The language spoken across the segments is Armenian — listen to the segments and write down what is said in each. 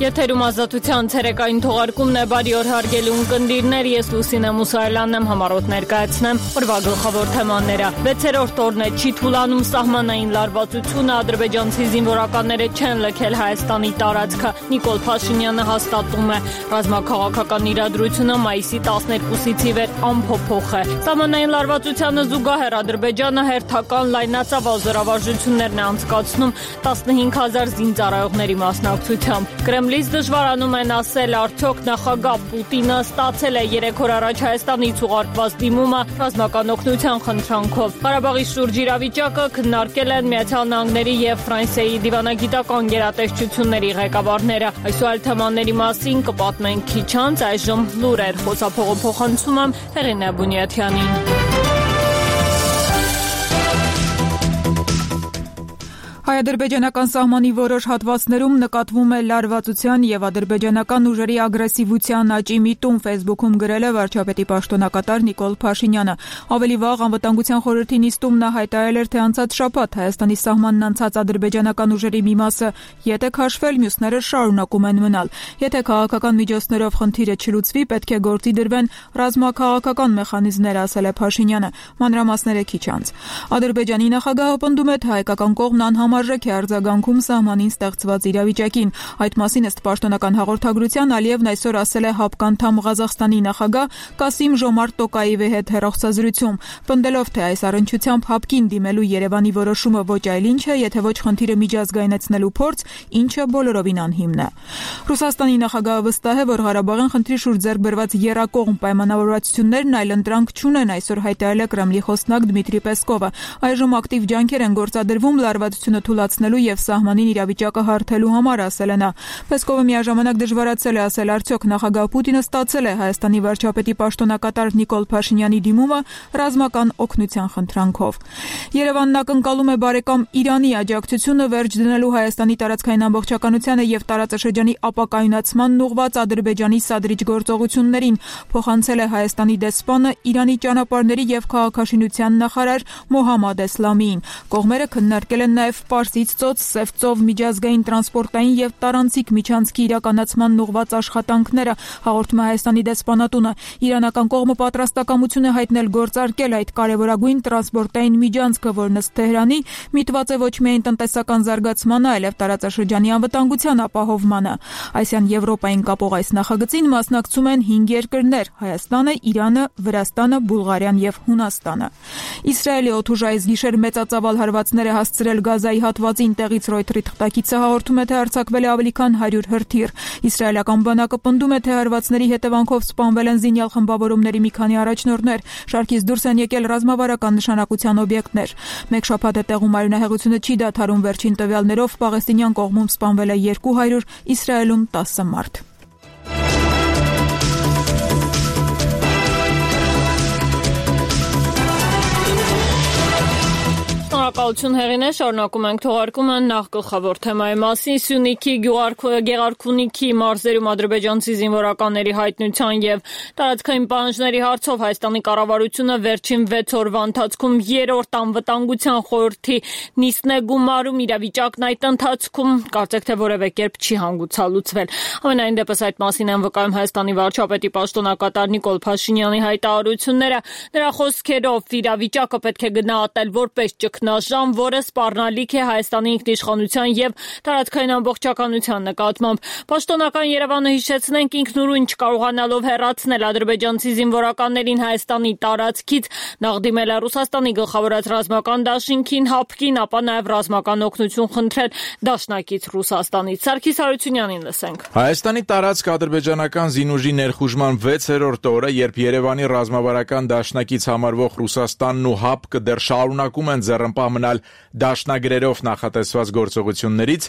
Եթերում ազատության ցերեկային թողարկումն է, բարի օր հարգելի ունկնդիրներ, ես Լուսինե Մուսայելյանն եմ, համառոտ ներկայացնեմ օրվա գլխավոր թեմաները։ 6-րդ օրն է, չի թուլանում սահմանային լարվածությունը, ադրբեջանցի զինվորականները չեն լքել Հայաստանի տարածքը, Նիկոլ Փաշինյանը հաստատում է, ռազմաքաղաքական իրադրությունը մայիսի 12-ից ի վեր անփոփոխ է։ Սահմանային լարվածությանը զուգահեռ Ադրբեջանը հերթական լայնածավալ զորավարժություններն է անցկացնում 15,000 զինծառայողների մասնակցությամբ։ Կրեմլից դժվարանում են ասել, արդյոք նախագահ Պուտինը ստացել է 3 օր առաջ Հայաստանից ուղարկված դիմումը ռազմական օգնության խնդրանքով։ Ղարաբաղի շուրջ իրավիճակը քննարկել են Միացյալ Նահանգների եւ Ֆրանսիայի դիվանագիտական գերատեսչությունների ղեկավարները։ Այսօր թեմաների մասին կպատմենք քիչ անց, այժմ լուրեր, խոսափողը փոխանցում եմ Հեղինե Բունյաթյանին։ Հայ-ադրբեջանական սահմանի որոշ հատվածներում նկատվում է լարվածության եւ ադրբեջանական ուժերի ագրեսիվության աճի միտում, Facebook-ում գրել է վարչապետի պաշտոնակատար Նիկոլ Փաշինյանը։ Ավելի վաղ անվտանգության խորհրդի նիստում նա հայտարարել էր, թե անցած շաբաթ Հայաստանի սահմանն անցած ադրբեջանական ուժերի մի մասը ետ է քաշվել, մյուսները շարունակում են մնալ։ Եթե քաղաքական միջոցներով խնդիրը չլուծվի, պետք է գործի դրվեն ռազմաքաղաքական մեխանիզմներ, ասել է Փաշինյանը։ Մանրամասները քիչ անց։ Ադրբեջանի նախագահը պնդում է, թե հայկական կողմն անհամարժեք է արձագանքում սահմանին ստեղծված իրավիճակին։ Այդ մասին ըստ պաշտոնական հաղորդագրության Ալիևն այսօր ասել է ՀԱՊԿ անդամ Ղազախստանի նախագահ Կասիմ Ժոմարտ Տոկաևի հետ հեռախոսազրույցում, պնդելով, թե այս առնչությամբ ՀԱՊԿ-ին դիմելու Երևանի որոշումը ոչ այլ ինչ է, եթե ոչ խնդիրը միջազգայնացնելու փորձ, ինչը բոլորովին անհիմն է։ Ռուսաստանի նախագահը վստահ է, որ Ղարաբաղյան խնդրի շուրջ ձեռք բերված եռակողմ պայմանավորվածություններն այլընտրանք չունեն, այսօր հայտարարել է Կրեմլի խոսնակ Դմիտրի Պեսկովը։ Այժմ ակտիվ ջանքեր են գործադրվում լարվածությունը թուլացնելու եւ սահմանին իրավիճակը հարթելու համար, ասել է նա։ Պեսկովը միաժամանակ դժվարացել է ասել, արդյոք նախագահ Պուտինը ստացել է Հայաստանի վարչապետի պաշտոնակատար Նիկոլ Փաշինյանի դիմումը ռազմական օգնության խնդրանքով։ Երևանն ակնկալում է բարեկամ Իրանի աջակցությունը վերջ դնելու Հայաստանի տարածքային ամբողջականությանը եւ տարածաշրջանի ապակայունացմանն ուղղված Ադրբեջանի սադրիչ գործողություններին, փոխանցել է Հայաստանի դեսպանը Իրանի ճանապարհների եւ քաղաքաշինության նախարար Մոհամմադ Էսլամիին։ Կողմերը քննարկել են նաև Պարսից ծոց, Սև ծով միջազգային տրանսպորտային եւ տարանցիկ միջանցքի իրականացման ուղղված աշխատանքները, հաղորդում է Հայաստանի դեսպանատունը։ Իրանական կողմը պատրաստակամություն է հայտնել գործարկել այդ կարևորագույն տրանսպորտային միջանցքը, որն ըստ Թեհրանի միտված է ոչ միայն տնտեսական զարգացմանը, այլև տարածաշրջանի անվտանգության ապահովմանը։ Ասիան Եվրոպային կապող այս նախագծին մասնակցում են 5 երկրներ՝ Հայաստանը, Իրանը, Վրաստանը, Բուլղարիան եւ Հունաստանը։ Իսրայելի օդուժ այս գիշեր մեծածավալ հարվածներ է հասցրել Գազայի հատվածին, տեղից Ռոյթերի թղթակիցը հաղորդում է, թե արձակվել է ավելի քան 100 հրթիռ։ Իսրայելական բանակը պնդում է, թե հարվածների հետևանքով սպանվել են զինյալ խմբավորումների մի քանի առաջնորդներ, շարքից դուրս են եկել ռազմավարական նշանակության օբյեկտներ։ Մեկ շաբաթ է տեղում արյունահեղությունը չի դադարում, վերջին տվյալներով պաղեստինյան կողմում սպանվել է 200, Իսրայելում 10 մարդ։ Շնորհակալություն Հեղինե, շարունակում ենք թողարկումը նախ գլխավոր թեմայի մասին։ Սյունիքի Գեղարքունիքի մարզերում ադրբեջանցի զինվորականների հայտնության եւ տարածքային պահանջների հարցով Հայաստանի կառավարությունը վերջին 6 օրվա ընթացքում 3-րդ անվտանգության խորհրդի նիստն է գումարում, իրավիճակն այդ ընթացքում կարծեք թե որևէ կերպ չի հանգուցալուծվել։ Ամենայն դեպս այդ մասին են վկայում Հայաստանի վարչապետի պաշտոնակատար Նիկոլ Փաշինյանի հայտարարությունները։ Նրա խոսքերով իրավիճակը պետք է գնահատել որպես ճգնաժամ, որը սպառնալիք է Հայաստանի ինքնիշխանության եւ տարածքային ամբողջականության նկատմամբ։ Պաշտոնական Երևանը, հիշեցնենք, ինքնուրույն չկարողանալով հեռացնել ադրբեջանցի զինվորականներին Հայաստանի տարածքից, նախ դիմել է Ռուսաստանի գլխավորած ռազմական դաշինքին, ՀԱՊԿ-ին, ապա նաեւ ռազմական օգնություն խնդրել դաշնակից Ռուսաստանից։ Սարգիս Հարությունյանին լսենք։ Հայաստանի տարածք ադրբեջանական զինուժի ներխուժման 6-րդ օրը, երբ Երևանի ռազմավարական դաշնակից համարվող Ռուսաստանն ու ՀԱՊԿ-ը դեռ շարունակում են ձեռնպահ մնալ դաշնագրերով նախատեսված գործողություններից,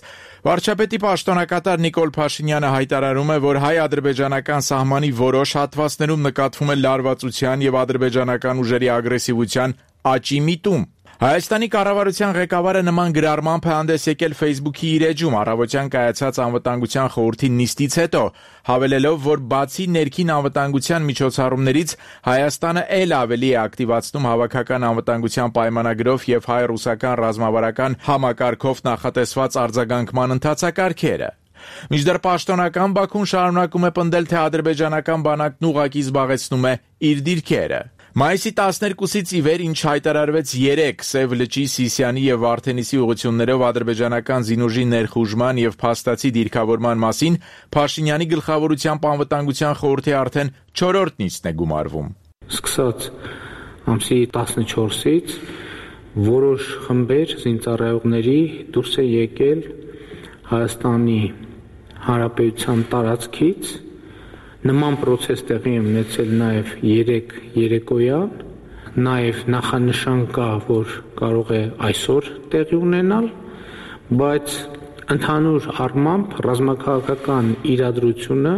վարչապետի պաշտոնակատար Նիկոլ Փաշինյանը հայտարարում է, որ հայ-ադրբեջանական սահմանի որոշ հատվածներում նկատվում է լարվածության եւ ադրբեջանական ուժերի ագրեսիվության աճի միտում։ Հայաստանի կառավարության ղեկավարը նման գրառմամբ է հանդես եկել Facebook-ի իր էջում առավոտյան կայացած անվտանգության խորհրդի նիստից հետո, հավելելով, որ բացի ներքին անվտանգության միջոցառումներից Հայաստանը ել ավելի է ակտիվացնում հավաքական անվտանգության պայմանագրով եւ հայ-ռուսական ռազմավարական համակարգով նախատեսված արձագանքման ընթացակարգերը։ Մինչդեռ պաշտոնական Բաքուն շարունակում է պնդել, թե ադրբեջանական բանակն ուղղակի զբաղեցնում է իր դիրքերը։ Մայիսի 12-ից ի վեր, ինչ հայտարարվեց 3 Սև լճի, Սիսիանի եւ Վարդենիսի ուղղություններով ադրբեջանական զինուժի ներխուժման եւ փաստացի դիրքավորման մասին, Փաշինյանի գլխավորությամբ անվտանգության խորհրդի արդեն 4-րդ նիստն է գումարվում։ Սկսած ամսի 14-ից որոշ խմբեր զինծառայողների դուրս է եկել Հայաստանի Հանրապետության տարածքից։ Նման պրոցես տեղի է ունեցել նաև 3 երեկոյան, նաև նախանշան կա, որ կարող է այսօր տեղի ունենալ, բայց ընդհանուր առմամբ ռազմաքաղաքական իրադրությունը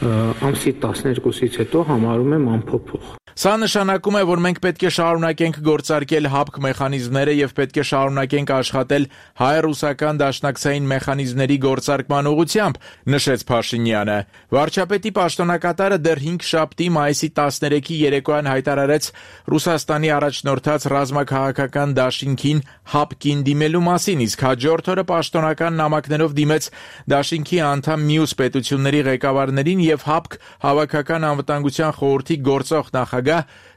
ամսի 12-ից հետո համարում եմ անփոփոխ։ Սա նշանակում է, որ մենք պետք է շարունակենք գործարկել հապկ մեխանիզմները եւ պետք է շարունակենք աշխատել հայ-ռուսական դաշնակցային մեխանիզմների գործարկման ուղղությամբ, նշեց Փաշինյանը։ Վարչապետի պաշտոնակատարը դեռ 5 շաբթի մայիսի 13-ի երեկոյան հայտարարեց Ռուսաստանի առաջնորդած ռազմաքաղաքական դաշինքին հապկին դիմելու մասին, իսկ հաջորդ օրը պաշտոնական նամակներով դիմեց դաշինքի անդամ մյուս պետությունների ղեկավարներին եւ հապկ հավաքական անվտանգության խորհրդի գործող նախագահ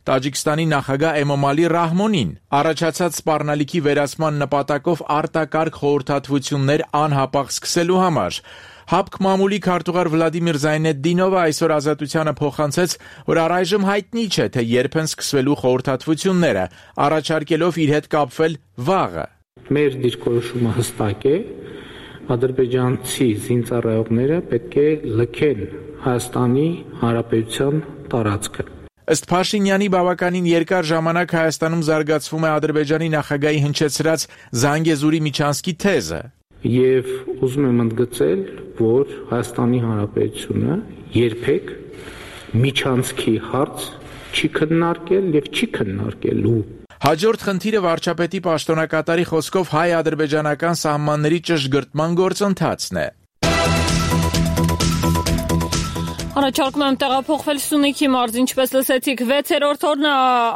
Տաջիկստանի նախագահ Էմոմալի Ռահմոնին։ Առաջացած սպառնալիքի վերացման նպատակով արտակարգ խորհրդատվություններ անհապաղ սկսելու համար։ Հապկ մամուլի քարտուղար Վլադիմիր Զայնեդդինովը այսօր Ազատությանը փոխանցեց, որ առայժմ հայտնի չէ, թե երբ են սկսվելու խորհրդատվությունները, առաջարկելով իր հետ կապվել վաղը։ Մեր դիրքորոշումը հստակ է, ադրբեջանցի զինծառայողները պետք է լքեն Հայաստանի Հանրապետության տարածքը։ Ըստ Փաշինյանի բավականին երկար ժամանակ Հայաստանում զարգացվում է Ադրբեջանի նախագահի հնչեցրած Զանգեզուրի Միչանսկի թեզը։ Եվ ուզում եմ ընդգծել, որ Հայաստանի Հանրապետությունը երբեք Միչանսկի հարց չի քննարկել եւ չի քննարկելու։ Հաջորդ խնդիրը վարչապետի պաշտոնակատարի խոսքով հայ-ադրբեջանական սահմանների ճշգրտման գործընթացն է։ Առաջարկում եմ տեղափոխվել Սյունիքի մարզ, ինչպես լսեցիք, 6-րդ օրն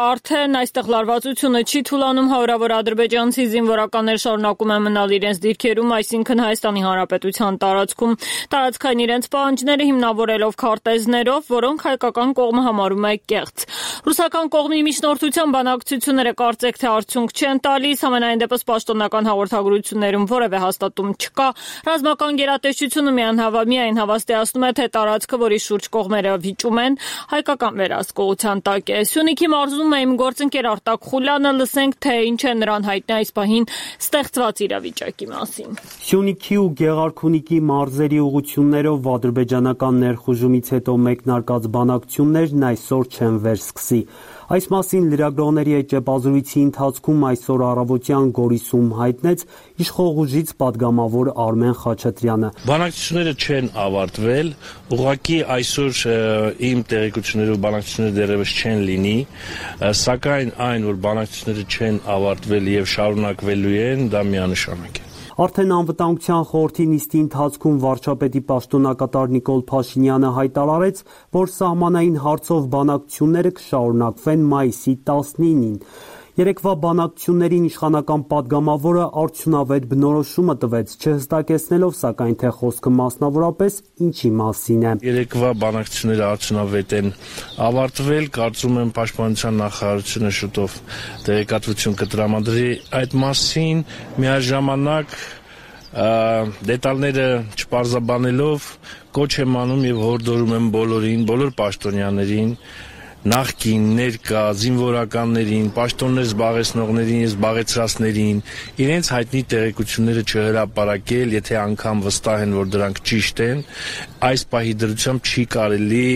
արդեն այստեղ լարվածությունը չի թուլանում, հարյուրավոր ադրբեջանցի զինվորականներ շարունակում են մնալ իրենց դիրքերում, այսինքն Հայաստանի Հանրապետության տարածքում, տարածքային իրենց պահանջները հիմնավորելով քարտեզներով, որոնք հայկական կողմը համարում է կեղծ։ Ռուսական կողմի միջնորդության բանակցությունները կարծեք թե արդյունք չեն տալիս, համենայն դեպս պաշտոնական հաղորդագրություններում որևէ հաստատում չկա։ Ռազմական գերատեսչությունը միայն հավաստիացնում է, թե տարածքը, որի շուրջ կողմերը վիճում են, հայկական վերահսկողության տակ է։ Սյունիքի մարզում է իմ գործընկեր Արտակ Խուլյանը, լսենք, թե ինչ է նրան հայտնի այս պահին ստեղծված իրավիճակի մասին։ Սյունիքի ու Գեղարքունիքի մարզերի ուղղություններով ադրբեջանական ներխուժումից հետո մեկնարկած բանակցություններն այսօր չեն վերսկսի։ Այս մասին լրագրողների հետ ճեպազրույցի ընթացքում այսօր առավոտյան Գորիսում հայտնեց իշխող ուժից պատգամավոր Արմեն Խաչատրյանը։ Բանակցությունները չեն ավարտվել, ուղղակի այսօր իմ տեղեկություններով բանակցությունները դեռևս չեն լինի, սակայն այն, որ բանակցությունները չեն ավարտվել եւ շարունակվելու են, դա միանշանակ է։ Արդեն անվտանգության խորհրդի նիստի ընթացքում վարչապետի պաշտոնակատար Նիկոլ Փաշինյանը հայտարարեց, որ սահմանային հարցով բանակցությունները կշարունակվեն մայիսի 19-ին։ Երեկվա բանակցություններին իշխանական պատգամավորը արդյունավետ բնորոշումը տվեց, չհստակեցնելով սակայն թե խոսքը մասնավորապես ինչի մասին է։ Երեկվա բանակցությունները արդյունավետ են ավարտվել, կարծում եմ Պաշտպանության նախարարությունը շուտով տեղեկատվություն կտրամադրի այդ մասին, միաժամանակ դետալները չպարզաբանելով կոչ եմ անում եւ հորդորում եմ բոլորին, բոլոր պաշտոնյաներին, նախկին, ներկա, զինվորականներին, պաշտոններ զբաղեցնողներին, զբաղեցրածներին, իրենց հայտնի տեղեկությունները չհրապարակել, եթե անգամ վստահ են, որ դրանք ճիշտ են, այս պահի դրությամբ չի կարելի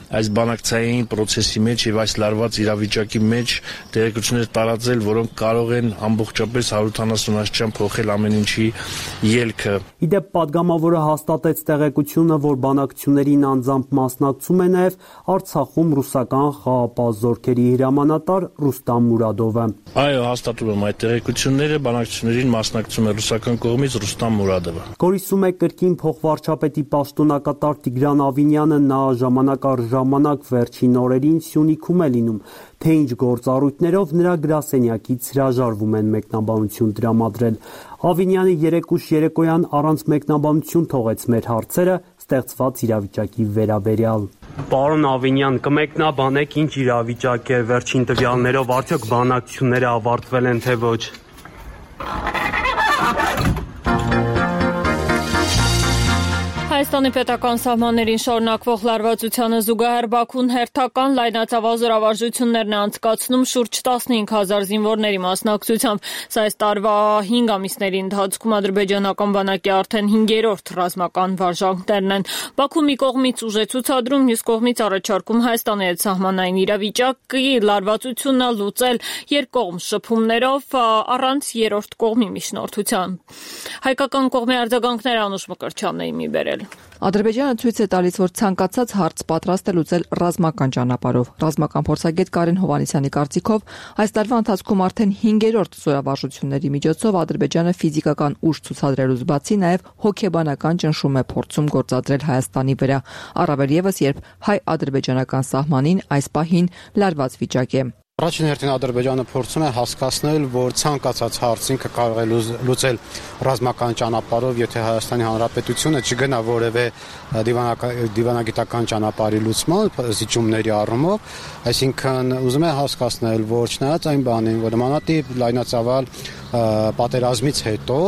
այս բանակցային process-ի մեջ եւ այս լարված իրավիճակի մեջ տեղեկություններ տարածել, որոնք կարող են ամբողջապես 170 աստիճան փոխել ամեն ինչի ելքը։ Իդեպ պատգամավորը հաստատեց տեղեկությունը, որ բանակցություններին անձամբ մասնակցում է նաեւ Արցախում ռուսական խաղապահ զորքերի հրամանատար Ռուստամ Մուրադովը։ Այո, հաստատում եմ այդ տեղեկությունները, բանակցություններին մասնակցում է ռուսական կողմից Ռուստամ Մուրադովը։ Գորիսում է կրկին փոխվարչապետի պաշտոնակատար Տիգրան Ավինյանը, նա ժամանակ առ ժամանակ վերջին օրերին Սյունիքում է լինում, թե ինչ գործառույթներով նրա գրասենյակից հրաժարվում են մեկնաբանություն տրամադրել։ Ավինյանը երեկուշ երեկոյան առանց մեկնաբանություն թողեց մեր հարցերը ստեղծված իրավիճակի վերաբերյալ։ Պարոն Ավինյան, կմեկնաբանեք ինչ իրավիճակ է վերջին տվյալներով, արդյոք բանակցությունները ավարտվել են թե ոչ։ Հայաստանի պետական սահմաններին շարունակվող լարվածությանը զուգահեռ Բաքուն հերթական լայնածավալ զորավարժություններն է անցկացնում շուրջ 15,000 զինվորների մասնակցությամբ։ Սա այս տարվա 5 ամիսների ընթացքում ադրբեջանական բանակի արդեն 5-րդ ռազմական վարժանքներն են։ Բաքուն մի կողմից ուժ է ցուցադրում, մյուս կողմից առաջարկում Հայաստանի հետ սահմանային իրավիճակի լարվածությունը լուծել երկկողմ շփումներով առանց երրորդ կողմի միջնորդության։ Հայկական կողմի արձագանքները Անուշ Մկրտչյանն է մի բերել։ Ադրբեջանը ցույց է տալիս, որ ցանկացած հարց պատրաստ է լուծել ռազմական ճանապարհով։ Ռազմական փորձագետ Կարեն Հովհաննիսյանի կարծիքով, այս տարվա ընթացքում արդեն 5-րդ զորավարժությունների միջոցով Ադրբեջանը ֆիզիկական ուժ ցուցադրելուց բացի նաև հոգեբանական ճնշում է փորձում գործադրել Հայաստանի վրա, առավել ևս երբ հայ-ադրբեջանական սահմանին այս պահին լարված վիճակ է։ Առաջին հերթին Ադրբեջանը փորձում է հասկացնել, որ ցանկացած հարց ինքը կարող է լուծել ռազմական ճանապարհով, եթե Հայաստանի Հանրապետությունը չգնա որևէ դիվանագիտական ճանապարհի լուծման զիջումների առումով, այսինքն ուզում է հասկացնել, որ չնայած այն բանին, որ նմանատիպ լայնածավալ պատերազմից հետո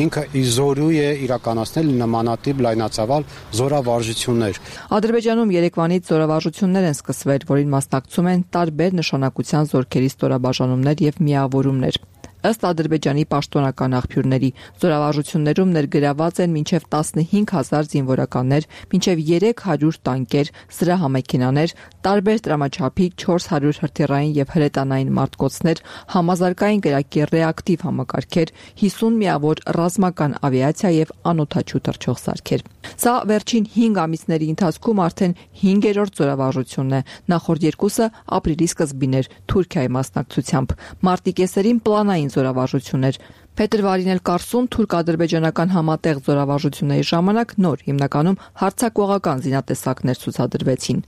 ինքը իզորու է իրականացնել նմանատիպ լայնածավալ զորավարժություններ։ Ադրբեջանում երեկվանից զորավարժություններ են սկսվել, որին մասնակցում են տարբեր նշանակության զորքերի ստորաբաժանումներ եւ միավորումներ։ Ըստ Ադրբեջանի պաշտոնական աղբյուրների, զորավարժություններում ներգրաված են մինչև 15,000 զինվորականներ, մինչև 300 տանկեր, զրահամեքենաներ, տարբեր տրամաչափի 400 հրթիռային եւ հրետանային մարտկոցներ, համազարգային կրակի ռեակտիվ համակարգեր, 50 միավոր ռազմական ավիացիա եւ անօդաչու թռչող սարքեր։ Սա վերջին 5 ամիսների ընթացքում արդեն 5-րդ զորավարժությունն է։ Նախորդ երկուսը ապրիլի սկզբին էր Թուրքիայի մասնակցությամբ։ Մարտի կեսերին պլանային զորավարժություններ։ Փետրվարին էլ Կարսում թուրք-ադրբեջանական համատեղ զորավարժությունների ժամանակ նոր հիմնականում հարձակողական զինատեսակներ ցուցադրվեցին։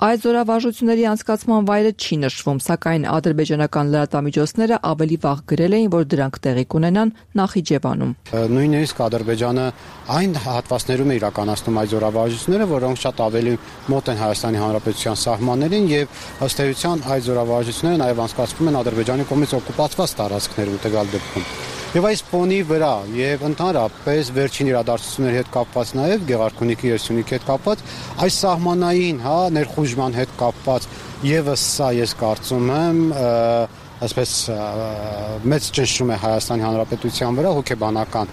Այս զորավարժությունների անցկացման վայրը չի նշվում, սակայն ադրբեջանական լրատվամիջոցները ավելի վաղ գրել էին, որ դրանք տեղի կունենան Նախիջևանում։ Նույնիսկ Ադրբեջանը այն հատվածներում է իրականացնում այդ զորավարժությունները, որոնք շատ ավելի մոտ են Հայաստանի Հանրապետության սահմաններին եւ ըստ էության այդ զորավարժությունները նաեւ անցկացվում են Ադրբեջանի կողմից օկուպացված տարածքներում տվյալ դեպքում։ Եվ այս ֆոնի վրա եւ ընդհանրապես վերջին իրադարձությունների հետ կապված նաեւ Գեղարքունիքի եւ Սյունիքի հետ կապված այս սահմանային, ներխուժման հետ կապված եւս սա ես կարծում եմ այսպես մեծ ճնշում է Հայաստանի Հանրապետության վրա, հոգեբանական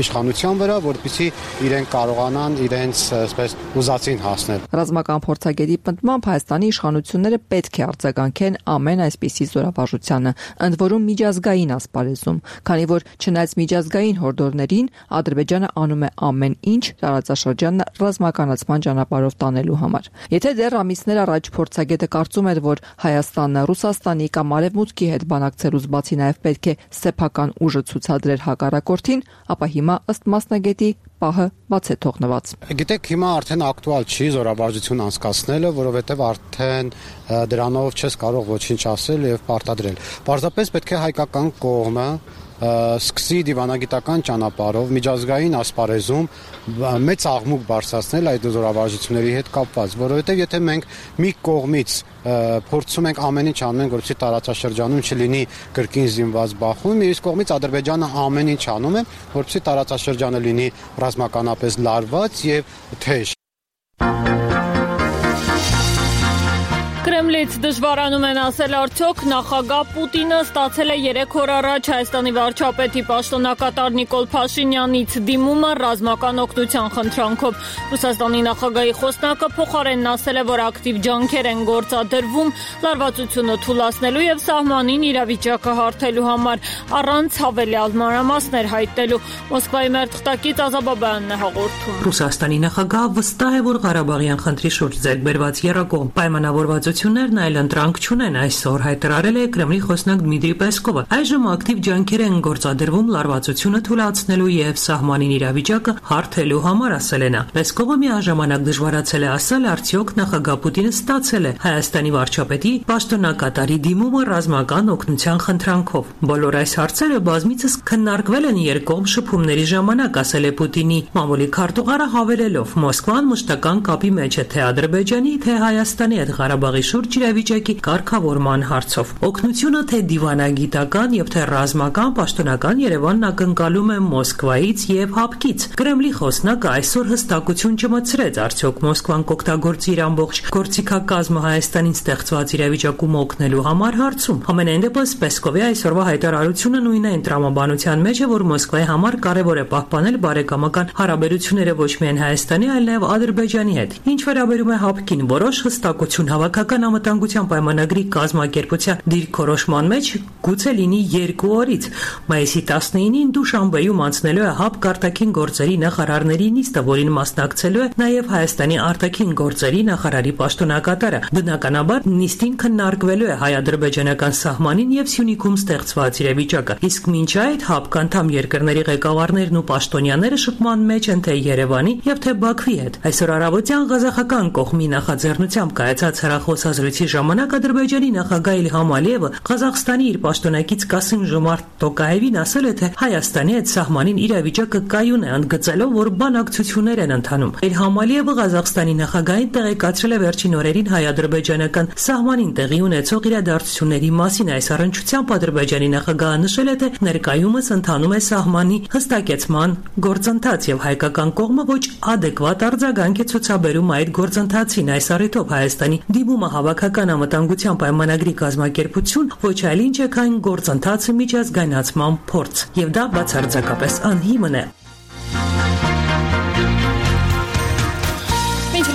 իշխանության վրա, որպեսզի իրենք կարողանան իրենց այսպես ուզածին հասնել։ Ռազմական փորձագետի պնդմամբ Հայաստանի իշխանությունները պետք է արձագանքեն ամեն այսպիսի զորավարժությանը, ընդ որում միջազգային ասպարեզում, քանի որ չնայած միջազգային հորդորներին Ադրբեջանը անում է ամեն ինչ տարածաշրջանը ռազմականացման ճանապարհով տանելու համար։ Եթե դեռ ամիսներ առաջ փորձագետը կարծում էր, որ Հայաստանը Ռուսաստանի կամ Արևմուտքի հետ բանակցելուց բացի նաև պետք է սեփական ուժը ցուցադրել հակառակորդին, ապա հիմա ըստ մասնագետի պահը բաց է թողնված։ Գիտեք, հիմա արդեն ակտուալ չի զորավարժություն անցկացնելը, որովհետև արդեն դրանով չես կարող ոչինչ ասել եւ պարտադրել։ Պարզապես պետք է հայկական կողմը սկսի դիվանագիտական ճանապարհով միջազգային ասպարեզում մեծ աղմուկ բարձրացնել այդ զորավարժությունների հետ կապված, որովհետև եթե մենք մի կողմից փորձում ենք ամեն ինչ անենք, որպեսզի տարածաշրջանում չլինի կրկին զինված բախում, մյուս կողմից Ադրբեջանը ամեն ինչ անում է, որպեսզի տարածաշրջանը լինի ռազմականապես լարված եւ թեժ։ Կրեմլից դժվարանում են ասել, արդյոք նախագահ Պուտինը ստացել է 3 օր առաջ Հայաստանի վարչապետի պաշտոնակատար Նիկոլ Փաշինյանից դիմումը ռազմական օգնության խնդրանքով։ Ռուսաստանի նախագահի խոսնակը փոխարենն ասել է, որ ակտիվ ջանքեր են գործադրվում լարվածությունը թուլացնելու եւ սահմանին իրավիճակը հարթելու համար, առանց հավելյալ մանրամասներ հայտնելու։ Մոսկվայի մեր թղթակից Ազաբաբյանն է հաղորդում։ Ռուսաստանի նախագահը վստահ է, որ Ղարաբաղյան խնդրի շուրջ ձեռք բերված եռակողմ պայմանավորվածությունը հարաբերություններն այլ ընտրանք չունեն, այսօր հայտարարել է Կրեմլի խոսնակ Դմիտրի Պեսկովը։ Այժմ ակտիվ ջանքեր են գործադրվում լարվածությունը թույլատնելու եւ սահմանին իրավիճակը հարթելու համար, ասել է նա։ Պեսկովը միաժամանակ դժվարացել է ասել, արդյոք նախագահ Պուտինը ստացել է Հայաստանի վարչապետի պաշտոնակատարի դիմումը ռազմական օգնության խնդրանքով։ Բոլոր այս հարցերը բազմիցս քննարկվել են երկկողմ շփումների ժամանակ, ասել է Պուտինի մամուլի քարտուղարը, հավելելով. Մոսկվան մշտական կապի մեջ է թե Ադրբեջանի, թե Հայաստանի հետ Ղարաբաղի շուրջ իրավիճակի կարգավորման հարցով։ Օգնությունը թե դիվանագիտական եւ թե ռազմական պաշտոնական Երևանն ակնկալում է Մոսկվայից եւ ՀԱՊԿ-ից։ Կրեմլի խոսնակը այսօր հստակություն չմտցրեց, արդյոք Մոսկվան կօգտագործի իր ամբողջ գործիքակազմը Հայաստանին ստեղծված իրավիճակում օգնելու համար հարցում։ Համենայն դեպս Պեսկովի այսօրվա հայտարարությունը նույն այն տրամաբանության մեջ է, որ Մոսկվայի համար կարևոր է պահպանել բարեկամական հարաբերությունները ոչ միայն Հայաստանի, այլ նաև Ադրբեջանի հետ։ Ինչ վերաբերում է ՀԱՊԿ-ին, որոշ հստակություն հավաքական անվտանգության պայմանագրի կազմակերպության դիրքորոշման մեջ գուցե լինի 2 օրից։ Մայիսի 19-ին Դուշանբեում անցնելու է ՀԱՊԿ արտաքին գործերի նախարարների նիստը, որին մասնակցելու է նաև Հայաստանի արտաքին գործերի նախարարի պաշտոնակատարը։ Բնականաբար նիստին քննարկվելու է հայ-ադրբեջանական սահմանին եւ Սյունիքում ստեղծված իրավիճակը։ Իսկ մինչ այդ ՀԱՊԿ անդամ երկրների ղեկավարներն ու պաշտոնյաները շփման մեջ են թե Երևանի եւ թե Բաքվի հետ։ Այսօր առավոտյան ղազախական կողմի նախաձեռնությամբ կայացած հեռախոսազրույցի ժամանակ Ադրբեջանի նախագահ Իլհամ Ալիևը Ղազախստանի իր պաշտոնակից Կասիմ-Ժոմարտ Տոկաևին ասել է, թե Հայաստանի հետ սահմանին իրավիճակը կայուն է, ընդգծելով, որ բանակցություններ են ընթանում։ Իլհամ Ալիևը Ղազախստանի նախագահին տեղեկացրել է վերջին օրերին հայ-ադրբեջանական սահմանին տեղի ունեցող իրադարձությունների մասին։ Այս առնչությամբ Ադրբեջանի նախագահը նշել է, թե ներկայումս ընթանում է սահմանի հստակեցման գործընթաց եւ հայկական կողմը ոչ adekvat արձագանք է ցուցաբերում այդ գործընթացին։ Այս առիթով Հայաստանի դիմումը հավաքական անվտանգության պայմանագրի կազմակերպություն ոչ այլ ինչ է, քան գործընթացը միջազգայնացման փորձ, եւ դա բացարձակապես անհիմն է։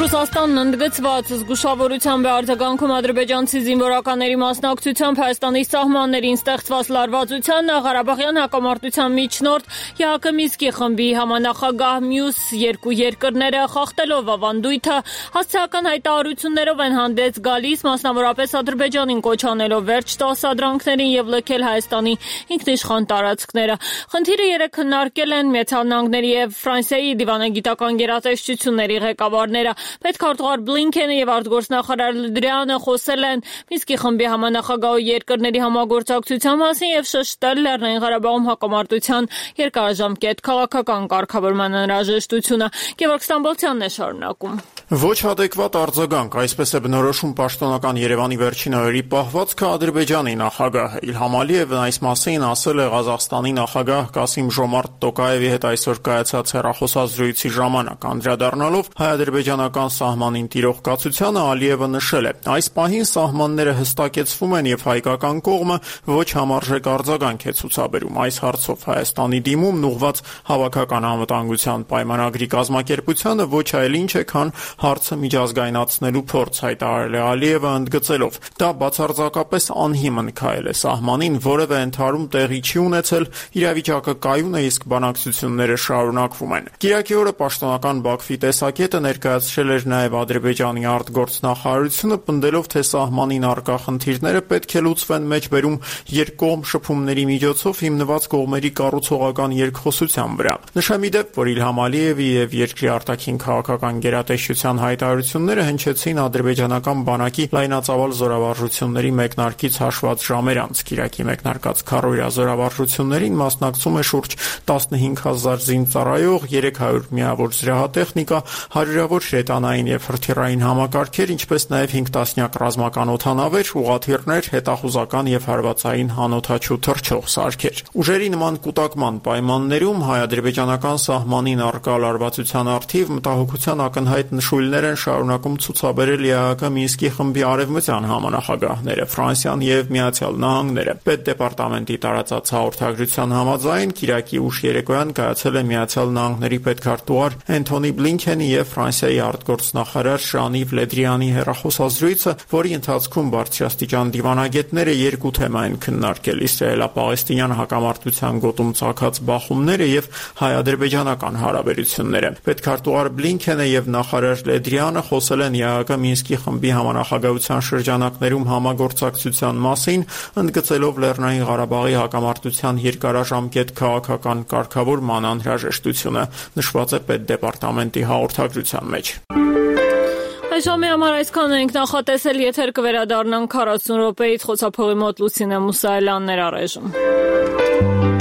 Ռուսաստանն ընդգծված զգուշավորությամբ է արձագանքում ադրբեջանցի զինվորականների մասնակցությամբ Հայաստանի սահմաններին ստեղծված լարվածության, Ղարաբաղյան հակամարտության միջնորդ ԵԱՀԿ Մինսկի խմբի համանախագահ մյուս երկու երկրները խախտելով ավանդույթը հասցեական հայտարարություններով են հանդես գալիս, մասնավորապես Ադրբեջանին կոչ անելով վերջ տալ սադրանքներին եւ լքել Հայաստանի ինքնիշխան տարածքները։ Խնդիրը երեկ քննարկել են Միացյալ Նահանգների եւ Ֆրանսիայի դիվանագիտական գերատեսչությունների ղեկավարները։ Պետքարտուղար Բլինքենը եւ արտգործնախարար Լդրյանը խոսել են Մինսկի խմբի համանախագահ երկրների համագործակցության մասին եւ շեշտել Լեռնային Ղարաբաղում հակամարտության երկարաժամկետ քաղաքական կարգավորման անհրաժեշտությունը։ Գևորգ Ստամբոլցյանն է շարունակում։ Ոչ adekvat արձագանք, այսպես է բնորոշում պաշտոնական Երևանի վերջին օրերի պահվածքը Ադրբեջանի նախագահը։ Իլհամ Ալիևն այս մասին ասել է Ղազախստանի նախագահ Կասիմ-Ժոմարտ Տոկաևի հետ այսօր կայացած հեռախոսազրույցի ժամանակ, անդրադառնալով հայ-ադրբեջանական սահմանին տիրող կացությանը, Ալիևը նշել է. այս պահին սահմանները հստակեցվում են եւ հայկական կողմը ոչ համարժեք արձագանք է ցուցաբերում։ Այս հարցով Հայաստանի դիմումն ուղղված հավաքական անվտանգության պայմանագրի կազմակերպությանը ոչ այլ ինչ է, քան հարցը միջազգայնացնելու փորձ, հայտարարել է Ալիևը, ընդգծելով. դա բացարձակապես անհիմն քայլ է սահմանին, որևէ ընդհարում տեղի չի ունեցել, իրավիճակը կայուն է, իսկ բանակցությունները շարունակվում են։ Կիրակի օրը պաշտոնական Բաքվի տեսակետը ներկայացրել էր նաև Ադրբեջանի արտգործնախարարությունը, պնդելով, թե սահմանին առկա խնդիրները պետք է լուծվեն մեջբերում երկկողմ շփումների միջոցով հիմնված կողմերի կառուցողական երկխոսության վրա։ Նշեմ ի դեպ, որ Իլհամ Ալիևի եւ երկրի արտաքին քաղաքական գերատեսչության հայտարարությունները հնչեցին ադրբեջանական բանակի լայնածավալ զորավարժությունների մեկնարկից հաշված ժամեր անց։ Կիրակի մեկնարկած քառօրյա զորավարժություններին մասնակցում է շուրջ 15000 զինծառայող, 300 միավոր զրահատեխնիկա, հարյուրավոր հրետանային եւ հրթիռային համակարգեր, ինչպես նաեւ 5 տասնյակ ռազմական օդանավեր, ուղղաթիռներ, հետախուզական եւ հարվածային հանօդաչու թռչող սարքեր։ Ուժերի նման կուտակման պայմաններում հայ-ադրբեջանական սահմանին առկա լարվածության առթիվ մտահոգության ակնհայտ նշույլներ են շարունակում ցուցաբերել ԵԱՀԿ Մինսկի խմբի արևմտյան համանախագահները, Ֆրանսիան եւ Միացյալ Նահանգները։ Պետդեպարտամենտի տարածած հաղորդագրության համաձայն Կիրակի ուշ երեկոյան կայացել է Միացյալ Նահանգների պետքարտուղար Անթոնի Բլինքենի եւ Ֆրանսիայի արտգործնախարար Ժան-Իվ Լեդրյանի հեռախոսազրույցը, որի ընթացքում բարձրաստիճան դիվանագետները երկու թեմա են քննարկել՝ իսրայելա-պաղեստինյան հակամարտության գոտում ծագած բախումները եւ հայ-ադրբեջանական հարաբերությունները։ Պետքարտուղար Բլինքենը եւ նախարար Լեդրյանը խոսել են ԵԱՀԿ Մինսկի խմբի համանախագահության շրջանակներում համագործակցության մասին, ընդգծելով Լեռնային Ղարաբաղի հակամարտության երկարաժամկետ քաղաքական կարգավորման անհրաժեշտությունը, նշված է Պետդեպարտամենտի հաղորդագրության մեջ։ Այժմի համար այսքան ենք նախատեսել, եթեր կվերադառնանք 40 րոպեից, խոսափողի մոտ Լուսինե Մուսայելյանն էր առայժմ։